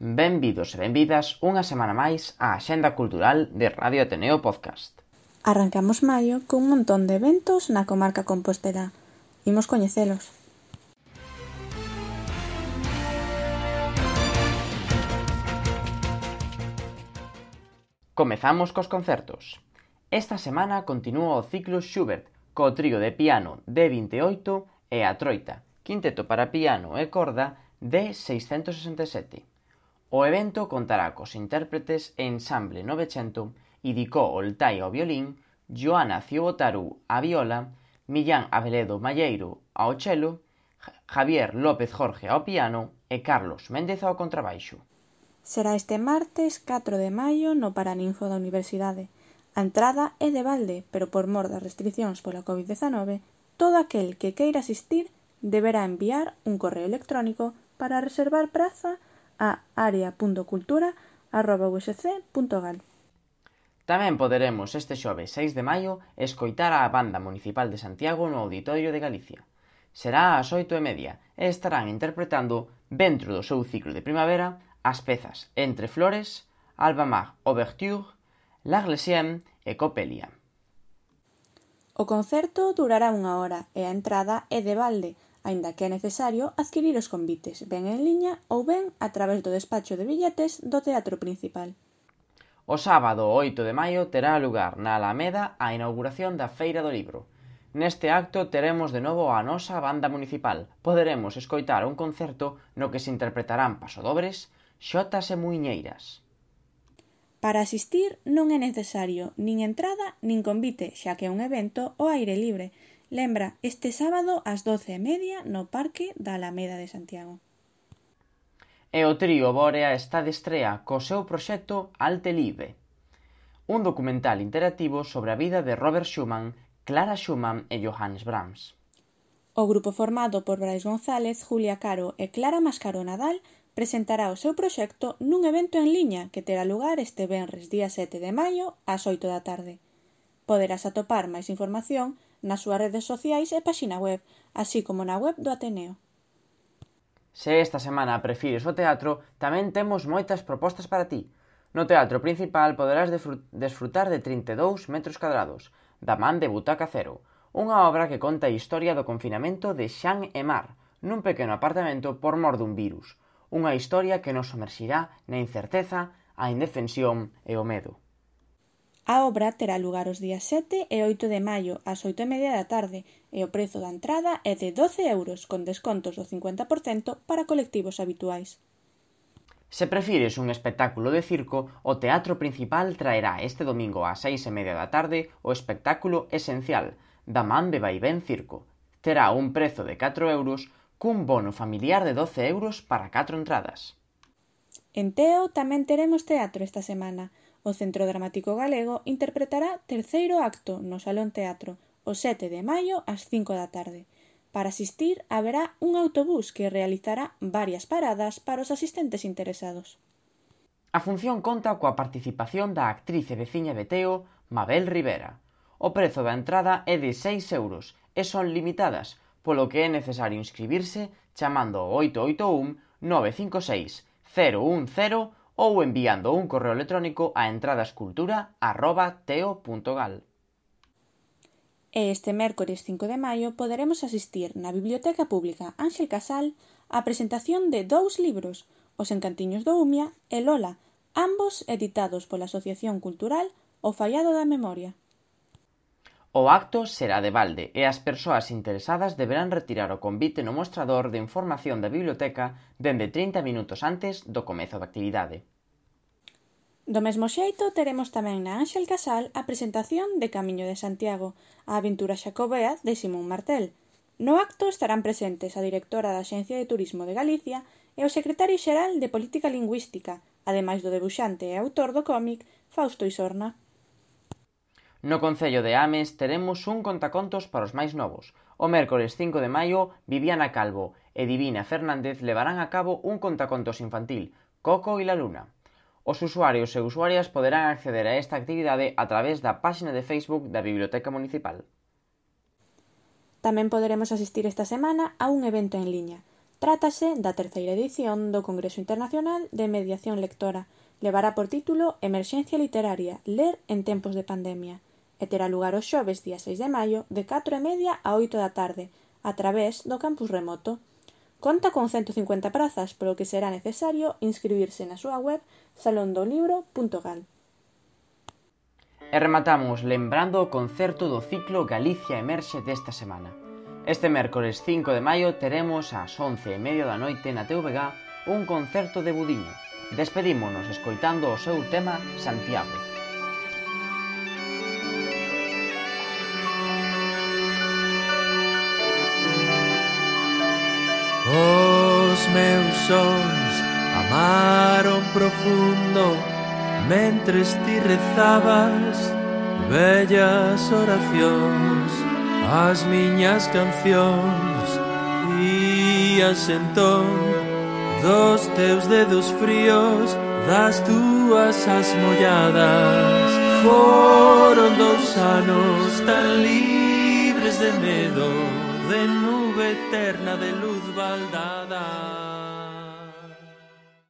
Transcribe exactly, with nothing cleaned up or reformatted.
Benvidos e benvidas unha semana máis á Axenda Cultural de Radio Ateneo Podcast. Arrancamos maio cun montón de eventos na comarca compostelá. Imos coñecelos. Comezamos cos concertos. Esta semana continúa o ciclo Schubert co trío de piano D vinte e oito e a troita, quinteto para piano e corda D seiscentos sesenta e sete. O evento contará cos intérpretes Ensamble Novecento, Idicó Oltai ao violín, Joana Ciobotaru á viola, Millán Abeledo Malleiro ao chelo, Javier López Jorge ao piano e Carlos Méndez ao contrabaixo. Será este martes catro de maio no Paraninfo da Universidade. A entrada é de balde, pero por mor das restricións pola covid dezanove, todo aquel que queira asistir deberá enviar un correo electrónico para reservar praza a area punto cultura arroba u s c punto gal. Tamén poderemos este xoves seis de maio escoitar a Banda Municipal de Santiago no Auditorio de Galicia. Será ás oito e media e estarán interpretando, dentro do seu ciclo de primavera, as pezas Entre Flores, Albamar Ouverture, L'Arlésienne e Coppelia. O concerto durará unha hora e a entrada é de balde, aínda que é necesario adquirir os convites, ben en liña ou ben a través do despacho de billetes do Teatro Principal. O sábado oito de maio terá lugar na Alameda a inauguración da Feira do Libro. Neste acto teremos de novo a nosa banda municipal. Poderemos escoitar un concerto no que se interpretarán pasadobres, xotas e muiñeiras. Para asistir non é necesario nin entrada nin convite, xa que é un evento ao aire libre. Lembra, este sábado ás doce e media no Parque da Alameda de Santiago. E o trío Bórea está de estrea co seu proxecto Alte Liebe, un documental interactivo sobre a vida de Robert Schumann, Clara Schumann e Johannes Brahms. O grupo formado por Brais González, Julia Caro e Clara Mascaro Nadal presentará o seu proxecto nun evento en liña que terá lugar este venres día sete de maio ás oito da tarde. Poderás atopar máis información nas súas redes sociais e páxina web, así como na web do Ateneo. Se esta semana prefires o teatro, tamén temos moitas propostas para ti. No Teatro Principal poderás desfrutar de trinta e dous metros cadrados, da man de Butaca Cero, unha obra que conta a historia do confinamento de Xan e Mar, nun pequeno apartamento por mor dun virus. Unha historia que nos somerxirá na incerteza, a indefensión e o medo. A obra terá lugar os días sete e oito de maio ás oito e media da tarde e o prezo da entrada é de doce euros con descontos do cincuenta por cento para colectivos habituais. Se prefires un espectáculo de circo, o Teatro Principal traerá este domingo ás seis e media da tarde o espectáculo Esencial, da man de Vaivén Circo. Terá un prezo de catro euros cun bono familiar de doce euros para catro entradas. En Teo tamén teremos teatro esta semana. O Centro Dramático Galego interpretará terceiro acto no Salón Teatro o sete de maio ás cinco da tarde. Para asistir haberá un autobús que realizará varias paradas para os asistentes interesados. A función conta coa participación da actriz e veciña de Teo, Mabel Rivera. O prezo da entrada é de seis euros e son limitadas, polo que é necesario inscribirse chamando ao oito oito un nove cinco seis cero un cero ou enviando un correo electrónico a entradascultura arroba teo punto gal. E este mércores cinco de maio poderemos asistir na Biblioteca Pública Ánxel Casal á presentación de dous libros, Os encantiños do Umia e Lola, ambos editados pola Asociación Cultural O Fallado da Memoria. O acto será de balde e as persoas interesadas deberán retirar o convite no mostrador de información da biblioteca dende trinta minutos antes do comezo da actividade. Do mesmo xeito, teremos tamén na Ánxel Casal a presentación de Camiño de Santiago, a aventura xacobea de Simón Martel. No acto estarán presentes a directora da Axencia de Turismo de Galicia e o secretario xeral de Política Lingüística, ademais do debuxante e autor do cómic Fausto Isorna. No concello de Ames teremos un contacontos para os máis novos. O mércores cinco de maio, Viviana Calvo e Divina Fernández levarán a cabo un contacontos infantil, Coco e la Luna. Os usuarios e usuarias poderán acceder a esta actividade a través da páxina de Facebook da Biblioteca Municipal. Tamén poderemos asistir esta semana a un evento en liña. Trátase da terceira edición do Congreso Internacional de Mediación Lectora. Levará por título Emerxencia Literaria, ler en tempos de pandemia, e terá lugar o xoves día seis de maio de catro e media a oito da tarde, a través do campus remoto. Conta con ciento cincuenta prazas, polo que será necesario inscribirse na súa web salondolibro punto gal. E rematamos lembrando o concerto do ciclo Galicia Emerxe desta semana. Este mércores cinco de maio teremos ás once e media da noite na T V G un concerto de Budiño. Despedímonos escoitando o seu tema Santiago. Os meus sons amaron profundo mentres ti rezabas bellas oracións. As miñas cancións ías entón dos teus dedos fríos, das túas as molladas. Foron dous anos tan libres de medo, de nube eterna de luz baldada.